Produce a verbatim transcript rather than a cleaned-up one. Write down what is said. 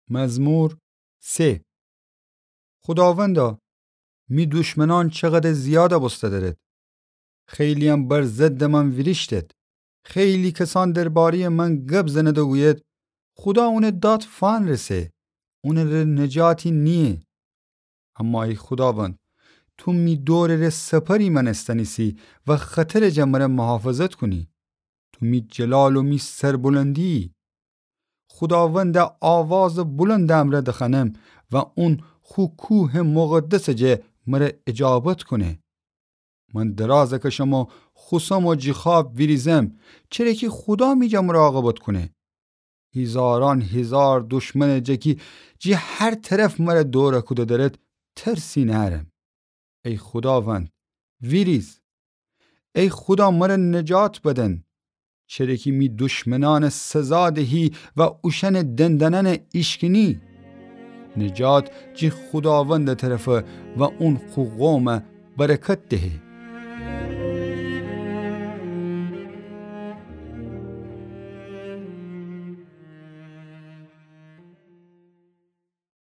مزمور سه. خوداوندا، می دشمنأن چقدر زیاد بوسته درد! خیلی‌یم بر ضدٚ من ویریشتد. خیلی کسأن درباره‌یٚ من گب زنید و گوید: خودا اونٚ داد فأنرسه، اونٚ ره نجاتی نییه. اما ای خوداوند، تو می دورٚ ره سپری مأنستن ایسی و خطرٚ جا مر محافظت کونی. تو می جلال و می سربلندی‌یی. خوداوند آوازٚ بلندٚ امرأ دخوأنم و اون خو کوهٚ مقدسٚ جا مر اجابت کونه. من دراز کشم و خوسم و جی خواب ویریزم، چره کی خودا می جا مراقبت کونه. هیزارأن هیزار دشمنٚ جا کی جی هر طرف مر دور کوده درد، ترسی نأرم. ای خوداوند، ویریز! ای خودا، مر نجات بدن، چره کی می دشمنأن سزا دهی و اوشأنٚ دندانأن ایشکنی. نجات جی خوداوندٚ طرفه و اون خو قوم برکت دهه.